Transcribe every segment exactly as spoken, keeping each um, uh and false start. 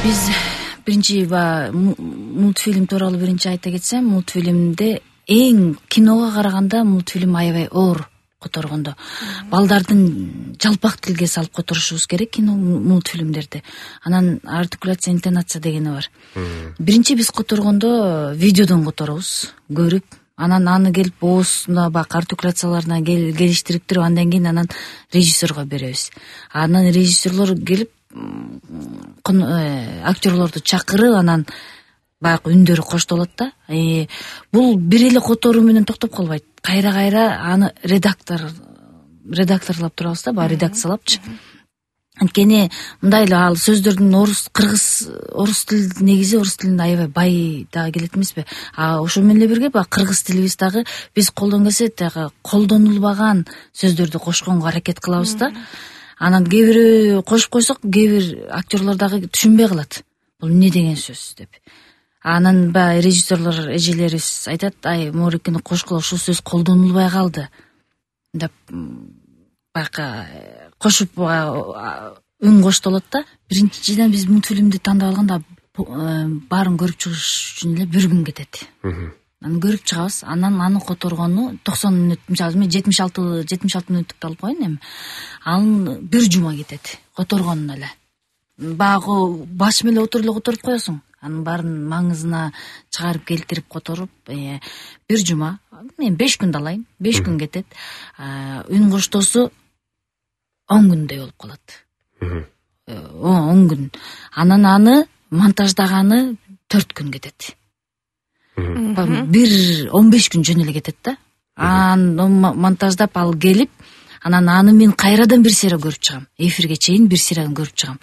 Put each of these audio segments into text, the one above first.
Биз биринчи мультфильм тууралуу биринчи айта кетсем, мультфильмде эң киного караганда мультфильм аябай оор которгондо. Балдардын жалпак тилге салып которушубуз керек кино мультфильмдерди. Анан артикуляция, интонация дегени бар. Биринчи биз которгондо видеодон которобуз, көрүп, анан аны келип оозуна бак артикуляцияларына келиштирип туруп, андан кийин анан режиссерго беребиз. Анан режиссерлор келип актерлорду чакырып, анан баягы үндөрү коштолот да. Э, бул бир эле которуу менен токтоп калбайт. Кайра-кайра аны редактор редакторлоп турабыз да, баягы редакциялапчы. Анткени мындай эле ал сөздөрдүн орус, кыргыз, орус тил негизи орус тилинде аябай бай дагы келет эмеспи? А ошо менен эле бирге баягы кыргыз тилибиз дагы биз колдон келсе дагы колдонулбаган сөздөрдү кошконго аракет кылабыз да. Анан кээ бири кошуп койсок, кээ бир актерлор дагы түшүнбөй калат. Бул эмне деген сөз деп. Анан баягы режиссерлор эжелерибиз айтат, ай морекини кошкула, ушул сөз колдонулбай калды деп баягы кошуп үн коштолот да. Биринчиден биз мультфильмди тандап алганда баарын көрүп чыгыш үчүн эле бир күн кетет. Аны көрүп чыгабыз, анан аны которгону токсон мүнөт, мисалы мен жетимиш алты жетимиш алты мүнөттүктү алып коеюн эми. Анын бир жума кетет которгонуна эле. Баягы баш менен отуруп эле которуп коесуң. Анын баарын маңызына чыгарып келтирип которуп, бир жума, мен беш күндү алайын, беш күн кетет. Үн коштоосу он күндөй болуп калат. он күн. Анан аны монтаждаганы төрт күн кетет. Бир он беш күн жөн эле кетет да. Анан монтаждап ал келип, анан аны мен кайрадан бир сыйра көрүп чыгам. Эфирге чейин бир сыйра көрүп чыгам.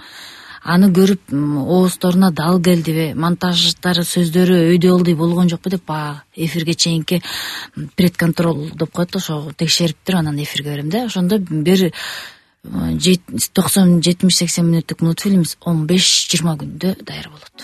Аны көрүп оозторуна дал келдиби, монтаждары, сөздөрү өйдө болду болгон жокпу деп баягы эфирге чейинки предконтроль деп коет, ошо текшерип туруп анан эфирге берем да. Ошондо бир токсон жетимиш сексен мүнөттүк мультфильмибиз он беш жыйырма күндө даяр болот.